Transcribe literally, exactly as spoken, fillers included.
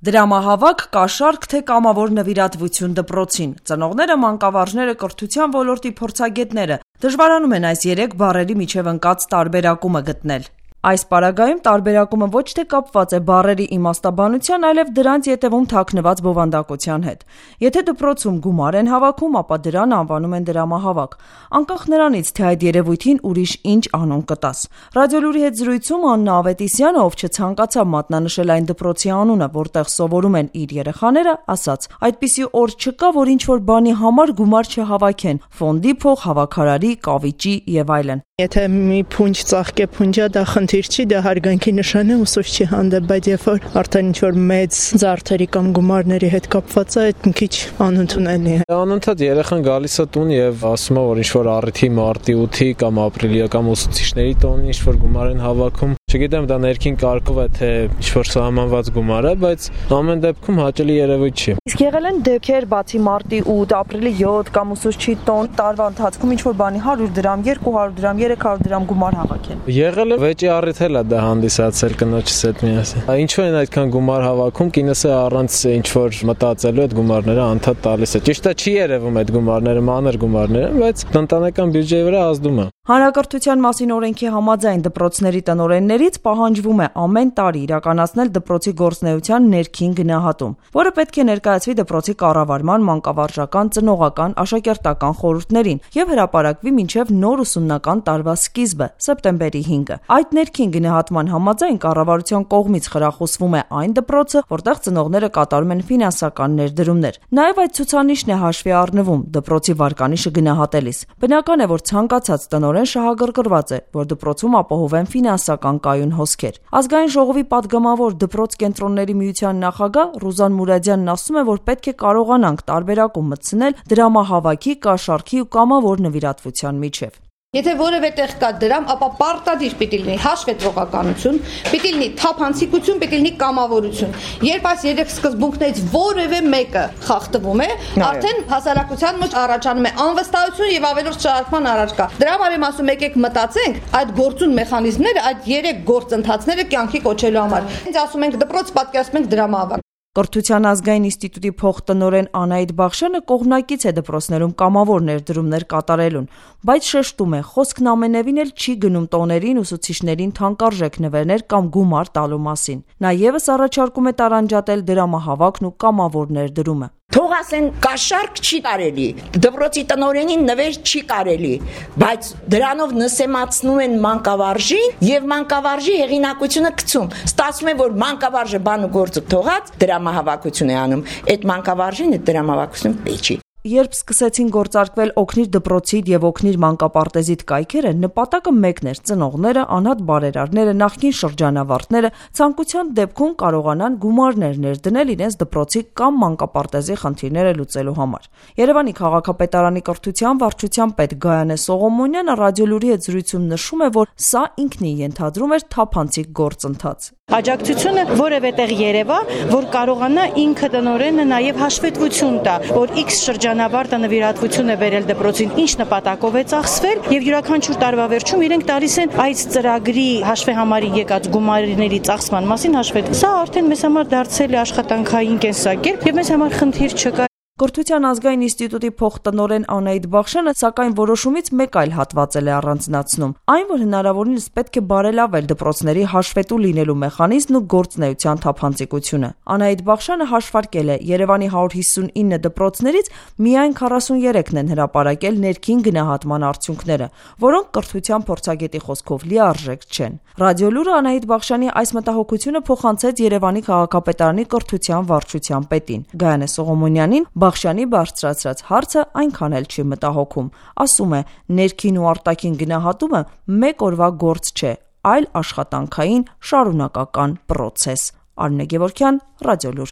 Դրամահավաք, կաշառք, թե կամավոր նվիրատվություն դպրոցին։ Ծնողները, մանկավարժները, կրթության ոլորտի փորձագետները դժվարանում են այս երեք բառերի միջև ընկած տարբերակումը գտնել։ Այս պարագայում տարբերակումը ոչ թե կապված է բառերի իմաստաբանության, այլև դրանց ետևում թաքնված բովանդակության հետ։ Եթե դպրոցում գումար են հավաքում, ապա դրան անվանում են դրամահավաք, անկախ նրանից, թե այդ երևույթին ուրիշ ինչ անուն կտաս։ Ռադիոլուրի հետ զրույցում Աննա Ավետիսյանը, ով չցանկացավ մատնանշել այն դպրոցի անունը, որտեղ սովորում են իր երեխաները, ասաց. «Այդպիսի օր չկա, որ ինչ-որ բանի համար գումար չհավաքեն՝ ֆոնդի փող, հավաքարարի, կավիճի եւ այլն»։ Եթե մի փունջ ծաղկե փունջա, դա խնդիր չի, դա հարգանքի նշան է ուսուցչի հանդեպ, բայց երբ որ արդեն ինչ-որ մեծ զարդերի կամ գումարների հետ կապված է, այդ մի քիչ անընդունելի է։ Անընդհատ երեխան գալիս է տուն եւ ասում է, որ ինչ-որ առիթի մարտի ութի կամ ապրիլի կամ ուսուցիչների տոնի ինչ-որ գումար են հավաքում։ Չգիտեմ, դա ներքին կարգով է, թե ինչ-որ սահմանված գումար է, բայց ամեն դեպքում հաճելի երևույթ չի։ Իսկ եղել են դեպքեր, բացի մարտի ութ, ապրիլի յոթ կամ ուսուցչի տոն, տարվա ընթացքում ինչ-որ բանի հարյուր դրամ, երկու հարյուր դրամ, երեք հարյուր դրամ գումար հավաքեն։ Եղել է, վեճի առիթ էլ է դա հանդիսացել կնոջս հետ միասին։ Ինչու են այդքան գումար հավաքում, կինս է առանց ինչ-որ մտածելու այդ գումարները անդադ տալիս է։ Ճիշտ է, չի երևում այդ գումարները, մանր գումարներ են, բայց տնտեսական բյուջեի վրա ազդում է։ Հանրակրթության մասին օրենքի համաձայն դպրոցների տնօրեններից պահանջվում է ամեն տարի իրականացնել դպրոցի գործունեության ներքին գնահատում, որը պետք է ներկայացվի դպրոցի կառավարման, մանկավարժական, ծնողական, աշակերտական խորհուրդներին եւ հրապարակվի մինչեւ նոր ուսումնական տարվա սկիզբը՝ սեպտեմբերի հինգը։ Այդ ներքին գնահատման համաձայն կառավարության կողմից խրախուսվում է այն դպրոցը, որտեղ ծնողները կատարում են ֆինանսական ներդրումներ։ Նաեւ այդ ցուցանիշն է հաշվի առնվում դպրոցի վարկանիշը գնահատելիս։ Բնական է, որ ցանկացած տնօրեն շահագրգռված է, որ դպրոցում ապահովեն ֆինանսական կայուն հոսքեր։ Ազգային ժողովի падգամավոր դպրոց կենտրոնների միության նախագահ Ռուզան Մուրադյանն ասում է, որ պետք է կարողանանք տարբերակում մտցնել դրամահավաքի, կաշառքի ու կամավոր նվիրատվության միջև։ Եթե որևէ տեղ կա դրամ, ապա պարտադիր պիտի լինի հաշվետվողականություն, պիտի լինի թափանցիկություն, պիտի լինի կամավորություն։ Երբ այս երեք սկզբունքներից որևէ մեկը խախտվում է, արդեն հասարակության մեջ առաջանում է անվստահություն եւ ավելորդ շարժման առարկա։ Դրա համար եմ ասում, եկեք մտածենք այդ գործուն մեխանիզմները, այդ երեք գործընթացները կյանքի կոչելու համար։ Ինձ ասում ենք դպրոց, պատկերացնում ենք դրամահավաք։ Կրթության ազգային ինստիտուտի փոխտնօրեն Անահիտ Բախշյանը կողմնակից է դպրոցներում կամավոր ներդրումներ կատարելուն, բայց շեշտում է, խոսքն ամենևին էլ չի գնում տոներին, ուսուցիչներին թանկարժեք նվերներ կամ գումար տալու մասին։ Նա ևս առաջարկում է տարանջատել դրամահավաքն ու կամավոր ներդրումը։ Թող ասեն կաշառք չի կարելի, դպրոցի տնօրենին նվեր չի կարելի, բայց դրանով նսեմացնում են մանկավարժին եւ մանկավարժի հեղինակությունը գցում։ Ստացվում է, որ մանկավարժը բան ու գործը թողած դրամահավաքություն է անում, այդ մանկավարժին այդ դրամահավաքություն չի։ Երբ սկսեցին գործարկվել օգնիր դպրոցիդ եւ օգնիր մանկապարտեզիդ կայքերը, նպատակը մեկն էր՝ ծնողները, անհատ բարերարները, նախկին շրջանավարտները ցանկության դեպքում կարողանան գումարներ ներդնել իրենց դպրոցի կամ մանկապարտեզի խնդիրները լուծելու համար։ Երևանի քաղաքապետարանի կրթության վարչության պետ Գայանե Սողոմոնյանը ռադիոլուրի հետ զրույցում նշում է, որ սա ինքնին ենթադրում էր թափանցիկ գործընթաց։ Աջակցությունը որևէ տեղ երևա, որ կարողանա ինքը տնօրենը նաև հաշվետվություն տա, որ X շրջանավարտը նվիրատվություն է վերել դպրոցին, ինչ նպատակով է ծախսվել եւ յուրաքանչյուր տարվա վերջում իրենք տալիս են այս ծրագրի հաշվեհամարի եկած գումարների ծախսման մասին հաշվետ։ Սա արդեն մեզ համար դարձել է աշխատանքային կենսակերպ եւ մեզ համար խնդիր չկա։ Կրթության ազգային ինստիտուտի փոխտնօրեն Անահիտ Բախշյանը սակայն որոշումից մեկ այլ հատվածել է առանձնացնում, այն, որ հնարավորինս պետք է բարելավել դպրոցների հաշվետու լինելու մեխանիզմն ու գործունեության թափանցիկությունը։ Անահիտ Բախշյանը հաշվարկել է Երևանի հարյուր հիսունինը դպրոցներից միայն քառասուներեքն են հրապարակել ներքին գնահատման արդյունքները, որոնք կրթության փորձագետի խոսքով լիարժեք չեն։ Ռադիոլուրը Անահիտ Բախշյանի այս մտահոգությունը փոխանցեց Երևանի քաղաքապետարանի կրթության վարչության պետին Գայանե Սողոմոնյանին։ Բախշյանի բարձրացրած հարցը այնքան էլ չի մտահոգում, ասում է, ներքին ու արտաքին գնահատումը մեկ օրվա գործ չէ, այլ աշխատանքային շարունակական պրոցես։ Արնե Գևորգյան, Ռադիոլուր։